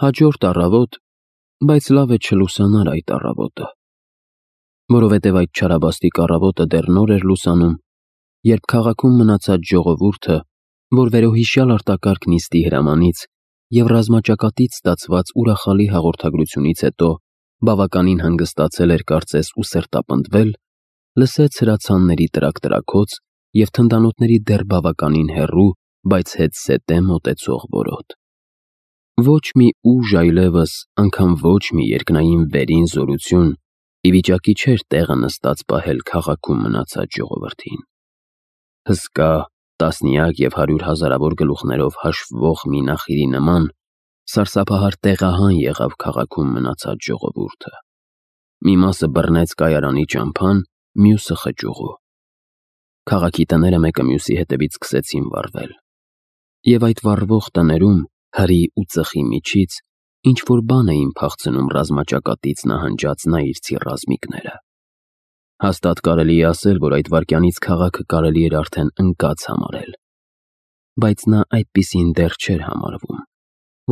Հաջորդ առավոտ, բայց լավ է չլուսանար այդ առավոտը, որովհետև այդ չարաբաստիկ առավոտը դեռ նոր էր լուսանում, երբ քաղաքում մնացած ժողովուրդը, որ վերոհիշյալ արտակարգ նիստի հրամանից և ռազմաճակատից ստացված ուրախալի հաղորդագրությունից հետո բավականին հանգստացել էր կարծես ու սրտապնդվել, լսեց հրացանների տրակ-տրաքոց և թնդանոթների դեռ բավականին հեռու, բայց հետզհետե մոտեցող որոտ։ Ոչ մի ուժ այլևս, անգամ ոչ մի երկնային վերին զորություն ի վիճակի չէր տեղը նստած պահել քաղաքում մնացած ժողովրդին։ Հսկա, տասնյակ և հարյուր հազարավոր գլուխներով հաշվվող մի նախիրի նման սարսափահար տեղահան եղավ քաղաքում մնացած ժողովուրդը։ Մի մասը բռնեց կայարանի ճամփան, մյուսը խճուղու։ Քաղաքի տները մեկը մյուսի հետևից սկսեցին վառվել։ Եվ այդ վառվող տներում, հրի ու ծխի միջից, ինչ-որ բան էին փախցնում ռազմաճակատից նահանջած նայիրցի ռազմիկները։ Հաստատ կարելի է ասել, որ այդ վայրկյանից քաղաքը կարելի էր արդեն ընկած համարել։ Բայց նա այդպիսին դեռ չէր համարվում,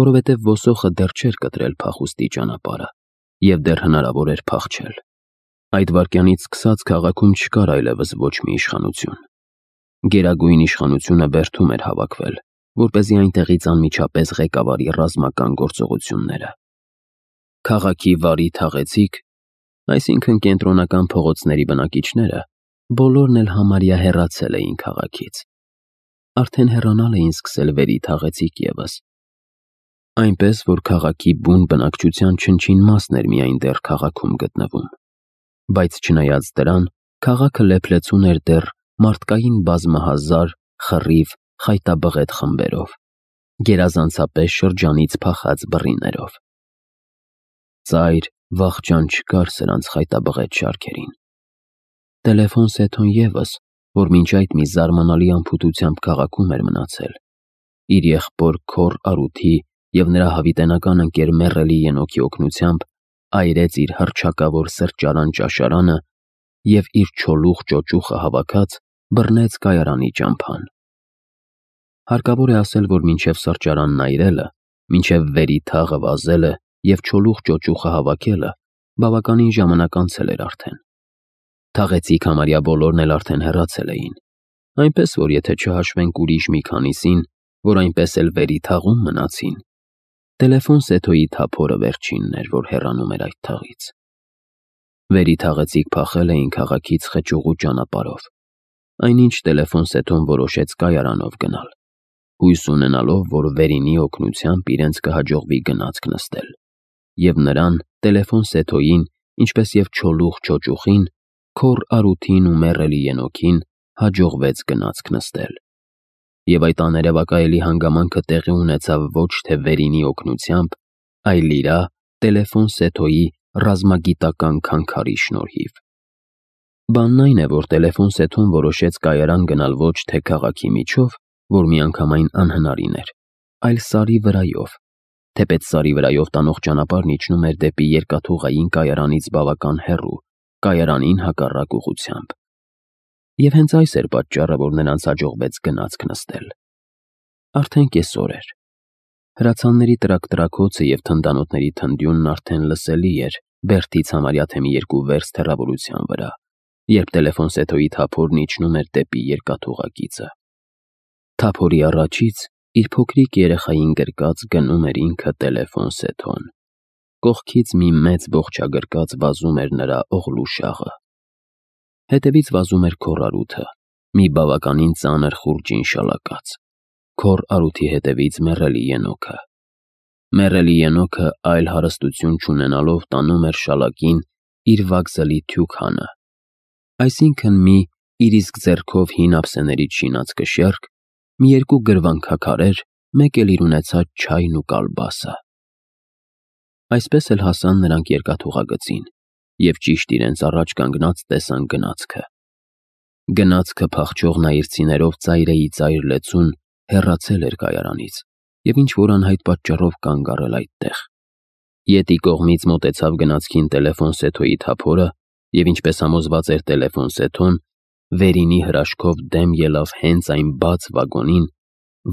որովհետև ոսոխը դեռ չէր կտրել փախուստի ճանապարհը, և դեռ հնարավոր էր փախչել։ Այդ վայրկյանից սկսած քաղաքում չկար այլևս ոչ մի իշխանություն։ Գերագույն իշխանությունը բերդում էր հավաքվել, որպեսզի այնտեղից անմիջապես ղեկավարի ռազմական գործողությունները։ Քաղաքի վարի թաղեցիկ, այսինքն կենտրոնական փողոցների բնակիչները, բոլորն էլ համարյա հեռացել էին քաղաքից։ Արդեն հեռանալ էին սկսել վերի թաղեցիկ ևս։ Այնպես, որ քաղաքի բուն բնակչության չնչին մասն էր միայն դեռ քաղաքում գտնվում։ Բայց չնայած դրան, քաղաքը լեփլեցուն էր դեռ մարդկային բազմահազար, խռիվ, խայտաբղետ խմբերով, գերազանցապես շրջանից փախած բռիներով։ Ծայր, վախճան չկար սրանց խայտաբղետ շարքերին։ Տելեֆոն Սեթոն ևս, որ մինչ այդ մի զարմանալի անփութությամբ քաղաքում էր մնացել, իր եղբոր Քոռ Արութի և նրա հավիտենական ընկեր Մեռելի Ենոքի օգնությամբ այրեց իր հռչակավոր սրճարան-ճաշարանը և իր չոլուխ ճոճուխը հավաքած բռնեց կայարանի ճամփան։ Հարկավոր է ասել, որ մինչև սրճարանն այրելը, մինչև վերի թաղը վազելը և չոլուխ ճոճուխը հավաքելը բավականին ժամանակ անցել էր արդեն։ Թաղեցիկ համարյա բոլորն էլ արդեն հեռացել էին, այնպես որ եթե չհաշվենք ուրիշ մի քանիսին, որ այնպես էլ վերի թաղում մնացին, Տելեֆոն Սեթոյի թափորը վերջինն էր, որ հեռանում էր այդ թաղից։ Վերի թաղեցիկ փախել էին քաղաքից խճուղու ճանապարհով, այնինչ Տելեֆոն Սեթոն որոշեց կայարանով գնալ, հույս ունենալով, որ վերինի օգնությամբ իրենց կհաջողվի գնացք նստել, և նրան, Տելեֆոն Սեթոյին, ինչպես և չոլուխ ճոճուխին, Քոռ Արութին ու Մեռելի Ենոքին հաջողվեց գնացք նստել։ Եվ այդ աներևակայելի հանգամանքը տեղի ունեցավ ոչ թե վերինի օգնությամբ, այլ իրա, Տելեֆոն Սեթոյի ռազմագիտական քանքարի շնորհիվ։ Բանն այն է, որ Տելեֆոն Սեթոն որոշեց կայարան գնալ ոչ թե քաղաքի միջով, որ միանգամայն անհնարին էր, այլ սարի վրայով, թեպետ սարի վրայով տանող ճանապարհն իջնում էր դեպի երկաթուղային կայարանից բավական հեռու, կայարանին հակառակ ուղղությամբ։ Եվ հենց այս էր պատճառը, որ նրանց հաջողվեց գնացք նստել։ Արդեն կեսօր էր։ Հրացանների տրակ-տրաքոցը և թնդանոթների թնդյունն արդեն լսելի էր Բերդից համարյա թե մի 2 վերստ հեռավորության վրա, երբ Տելեֆոն Սեթոյի թափորն իջնում էր դեպի երկաթուղակիցը։ Թափորի առաջից իր փոքրիկ երեխային գրկած գնում էր ինքը Տելեֆոն Սեթոն։ Կողքից մի մեծ բոխչագրկած վազում էր նրա օղլուշաղը։ Հետևից վազում էր Քոռ Արութը, մի բավականին ծանր խուրջին շալակած։ Քոռ Արութի հետևից Մեռելի Ենոքը։ Մեռելի Ենոքը այլ հարստություն չունենալով տանում էր շալակին իր վագզլի թյուքանը, այսինքն մի իր իսկ ձեռքով հին ափսեներից շինած կշեռք, մի 2 գրվանքաքարեր, մեկ էլ իր ունեցած չայն ու կալբասը։ Այսպես էլ հասան նրանք երկաթուղագծին և ճիշտ իրենց առաջ կանգնած տեսան գնացքը։ Գնացքը փախչող նայիրցիներով ծայրեի ծայր լեցուն հեռացել էր կայարանից և ինչ-որ անհայտ պատճառով կանգ առել այդտեղ։ Ետի կողմից մոտեցավ գնացքին Տելեֆոն Սեթոյի թափորը և ինչպես համոզված էր Տելեֆոն Սեթոն, վերինի հրաշքով դեմ ելավ հենց այն բաց վագոնին,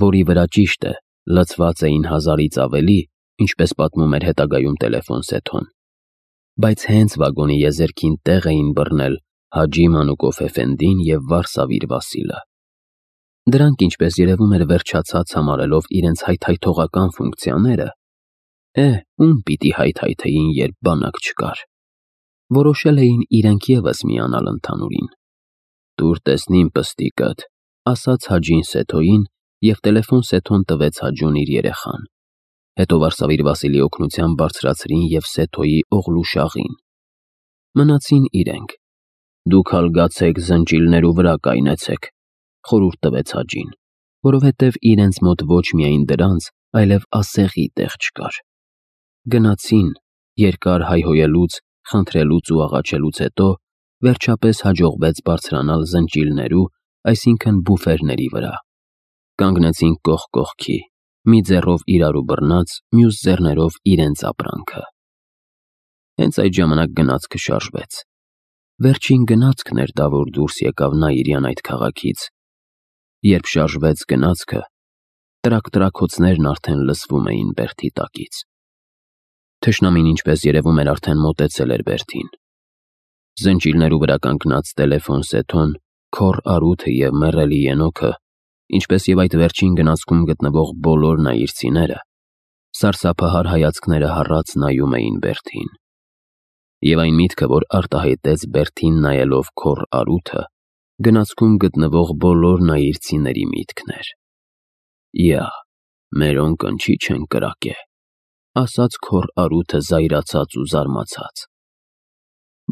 որի վրա ճիշտ է, լցված էին 1000-ից ավելի, ինչպես պատմում էր հետագայում տելեֆոն Սեթոն։ Բայց հենց վագոնի եզերքին տեղ էին բռնել Հաջի Մանուկով Էֆենդին և Վարսավիր Վասիլը։ Դրանք, ինչպես երևում էր, վերջացած համարելով իրենց հայթայթողական ֆունկցիաները, ում պիտի հայթայթեին, երբ բանակ չկար։ Որոշել էին իրենք ևս միանալ ընդհանուրին։ «Տուր տեսնիմ պստիկդ», ասաց Հաջին Սեթոյին, և տելեֆոն Սեթոն տվեց Հաջուն իր երեխան։ Հետո Վարսավիր Վասիլի օգնությամբ բարձրացրին և Սեթոյի Օղլուշաղին։ Մնացին իրենք։ «Դուք ալ գացեք զնճիլներու վրա կայնեցեք», խորհուրդ տվեց Հաջին, որովհետև իրենց մոտ ոչ միայն դրանց, այլև ասեղի տեղ չկար։ Գնացին, երկար հայհոյելուց, խնդրելուց ու աղաչելուց հետո վերջապես հաջողվեց բարձրանալ զնճիլներու, այսինքն բուֆերների վրա։ Կանգնեցին կողք կողքի, մի ձեռով իրարու բռնած, մյուս ձեռներով իրենց ապրանքը։ Հենց այդ ժամանակ գնացքը շարժվեց։ Վերջին գնացքն էր դա, որ դուրս եկավ Նաիրյան այդ քաղաքից։ Երբ շարժվեց գնացքը, տրակ-տրաքոցներն արդեն լսվում էին բերդի տակից։ Թշնամին, ինչպես երևում էր, արդեն մոտեցել էր բերդին։ Զնճիլներու վրա կանգնած տելեֆոն Սեթոն, Քոռ Արութը և մեռելի Ենոքը, ինչպես և այդ վերջին գնացքում գտնվող բոլոր նաիրցիները, սարսափահար հայացքները հառած նայում էին բերդին։ Եվ այն միտքը, որ արտահայտեց բերդին նայելով Քոռ Արութը, գնացքում գտնվող բոլոր նաիրցիների միտքն էր։ «Յա, մերոն կնչի չեն կրակե», ասաց Քոռ Արութը զայրացած ու զարմացած։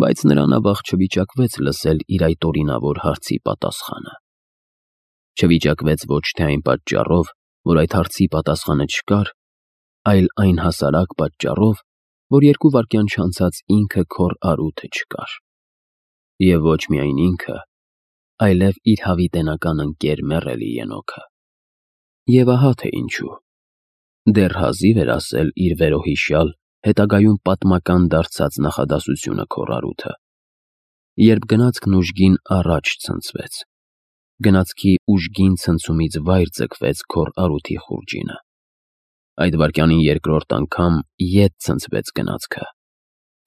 Բայց նրան ավաղ չվիճակվեց լսել իր այդ օրինավոր հարցի պատասխանը։ Չվիճակվեց ոչ թե այն պատճառով, որ այդ հարցի պատասխանը չկար, այլ այն հասարակ պատճառով, որ 2 վայրկյան չանցած ինքը Քոռ Արութը չկար։ Եվ ոչ միայն ինքը, այլև իր հավիտենական ընկեր մեռելի Ենոքը։ Եվ ահա թե ինչու։ Դեռ հազիվ էր ասել իր վերոհիշյալ, հետագայում պատմական դարձած նախադասությունը Քոռ Արութը, երբ գնացքն ուժգին առաջ ցնցվեց։ Գնացքի ուժգին ցնցումից վայր ձգվեց Քոռ Արութի խուրջինը։ Այդ վայրկյանին երկրորդ անգամ ետ ցնցվեց գնացքը։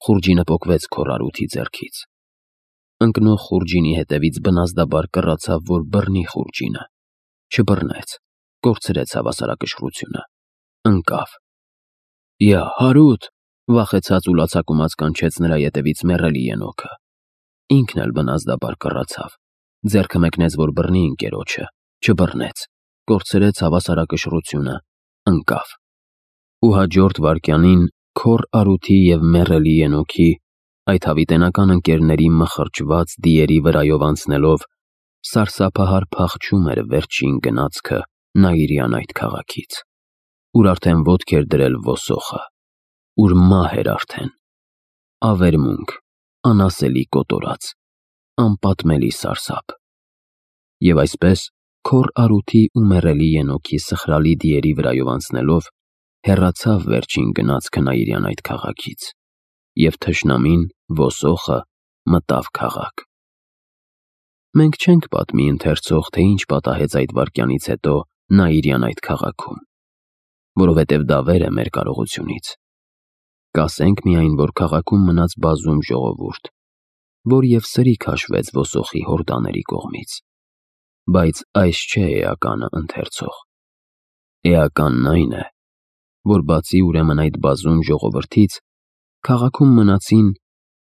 Խուրջինը պոկվեց Քոռ Արութի ձեռքից։ Ընկնող խուրջինի հետևից բնազդաբար կռացավ, որ բռնի խուրջինը։ Չբռնեց, կորցրեց հավասարակշռությունը։ Ընկավ։ «Յա, Հարութ», վախեցած ու լացակումած կանչեց նրա ետևից մեռելի Ենոքը։ Ինքն էլ բնազդաբար կռացավ, ձեռքը մեկնեց, որ բռնի ընկերոջը, չբռնեց, կորցրեց հավասարակշռությունը, ընկավ։ Ու հաջորդ վայրկյանին Քոռ Արութի և մեռելի Ենոքի, այդ հավիտենական ընկերների մխրճված դիերի վրայով անցնելով, սարսափահար փախչում էր վերջին գնացքը Նաիրյան այդ քաղաքից, ուր արդեն ոտք էր դրել ոսոխը, ուր մահ էր արդեն, ավերմունք, անասելի կոտորած, անպատմելի սարսափ։ Եվ այսպես Քոռ Արութի ու մեռելի Ենոքի սխրալի դիերի վրայով անցնելով, հեռացավ վերջին գնացքը Նաիրյան այդ քաղաքից, և թշնամին, ոսոխը, մտավ քաղաք։ Մենք չենք պատմի ընթերցող, թե ինչ պատահեց այդ վայրկյանից հետո Նաիրյան այդ քաղաքում, որովհետև դա վեր է մեր կարողությունից։ Կասենք միայն, որ քաղաքում մնաց բազում ժողովուրդ, որ և սրի քաշվեց ոսոխի հորդաների կողմից։ Բայց այս չէ էականը, ընթերցող։ Էականն այն է, որ բացի ուրեմն այդ բազում ժողովրդից, քաղաքում մնացին,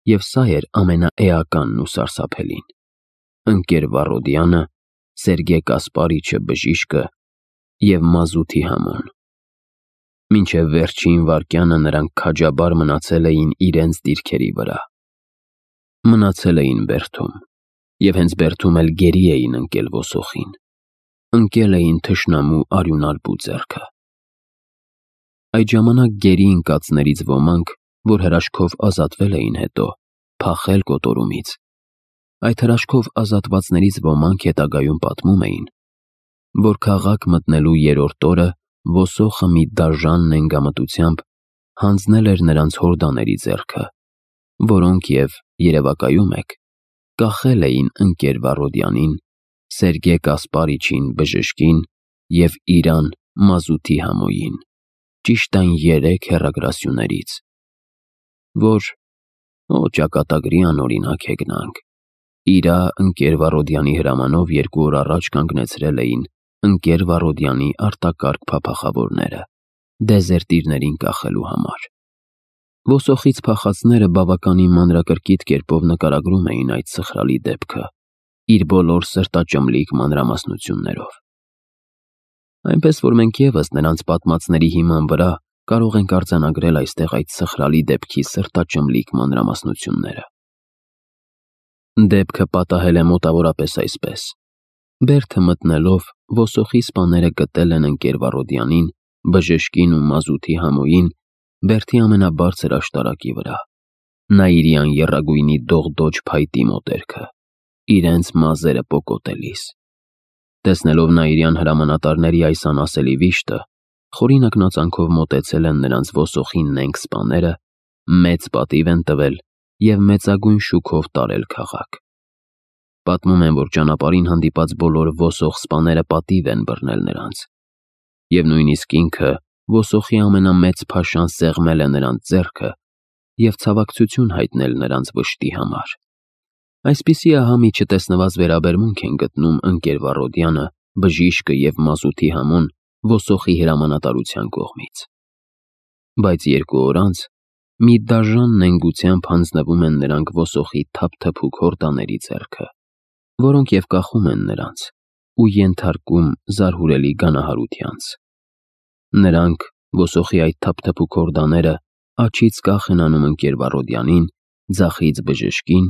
և սա էր ամենաէականն ու սարսափելին, ընկեր Վառոդյանը, Սերգեյ Կասպարիչը բժիշկը և Մազութի Համոն։ Մինչև վերջին վայրկյանը նրանք քաջաբար մնացել էին իրենց դիրքերի վրա։ Մնացել էին բերդում, և հենց բերդում էլ գերի էին ընկել ոսոխին, ընկել էին թշնամու արյունալբու ձեռքը։ Այդ ժամանակ գերի ընկածներից ոմանք, որ հրաշքով ազատվել էին հետո, փախել կոտորումից։ Այդ հրաշքով ազատվածներից ոմանք հետագայում պատմում էին, որ քաղաք մտնելու 3-րդ օրը ոսոխը մի դաժան նենգամտությամբ հանձնել էր նրանց հորդաների ձեռքը, որոնք և, երևակայում եք, կախել էին ընկեր Վառոդյանին, Սերգեյ Կասպարիչին բժշկին և իրան Մազութի Համոյին, ճիշտ այն 3 հեռագրասյուներից, որ ճակատագրի անօրինակ է գնանք։ Իրա ընկեր Վարոդյանի հրամանով 2 օր առաջ կանգնեցրել էին ընկեր Վարոդյանի արտակարգ փափախավորները դեզերտիրներին կախելու համար։ Ոսոխից փախածները բավականին մանրակրկիտ կերպով նկարագրում էին այդ սխրալի դեպքը իր բոլոր սրտաճմլիկ մանրամասնություններով։ Այնպես որ մենք ևս նրանց պատմածների հիման վրա կարող ենք արձանագրել այստեղ այդ սխրալի դեպքի սրտաճմլիկ մանրամասնությունները։ Դեպքը պատահել է մոտավորապես այսպես. Բերդը մտնելով ոսոխի սպաները գտել են ընկեր Վարոդյանին, բժշկին ու մազութի համոյին Բերդի ամենաբարձր աշտարակի վրա, Նաիրյան եռագույնի դողդոջ փայտի մոտերքը, իրենց մազերը պոկոտելիս։ Տեսնելով Նաիրյան հրամանատարների այս անասելի վիշտը, խորին ակնածանքով մոտեցել են նրանց ոսոխի նենգ սպաները, մեծ պատիվ են տվել և մեծագույն շուքով տարել քաղաք։ Պատմում են, որ ճանապարհին հանդիպած բոլոր ոսող սպաները պատիվ են բռնել նրանց, և նույնիսկ ինքը ոսոխի ամենամեծ փաշան սեղմել է նրանց ձեռքը և ցավակցություն հայտնել նրանց վշտի համար։ Այսպիսի ահամի չտեսնված վերաբերմունք են գտնում ընկեր Վարոդյանը, բժիշկը և մազութի համոն ոսոխի հրամանատարության կողմից։ Բայց 2 օր անց մի դաժան նենգությամբ հանձնվում են նրանք ոսոխի թափթփուկ հորդաների ձեռքը, որոնք և կախում են նրանց ու ենթարկում զարհուրելի գանահարությանց։ Նրանք, ոսոխի այդ թափթփուկ հորդաները, աջից կախ են անում ընկեր Վարոդյանին, ձախից բժշկին,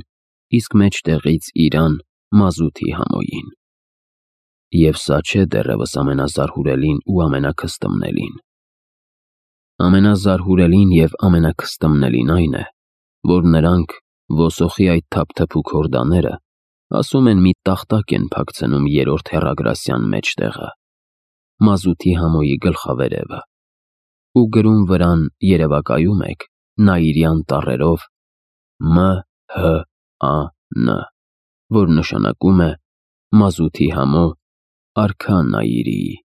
իսկ մեջտեղից իրան, մազութի համոյին։ Եվ սա չէ դեռևս ամենազարհուրելին ու ամենաքստմնելին։ Ամենազարհուրելին և ամենաքստմնելին այն է, որ նրանք, ոսոխի այդ թափթփուկ հորդաները, ասում են մի տախտակ են փակցնում 3-րդ հեռագրասյան մեջտեղը, մազութի համոյի գլխավերևը, ու գրում վրան երևակայում եք Նաիրյան տառերով M.H.A.N., որ նշանակում է Մազութի համո արքա Նաիրիի։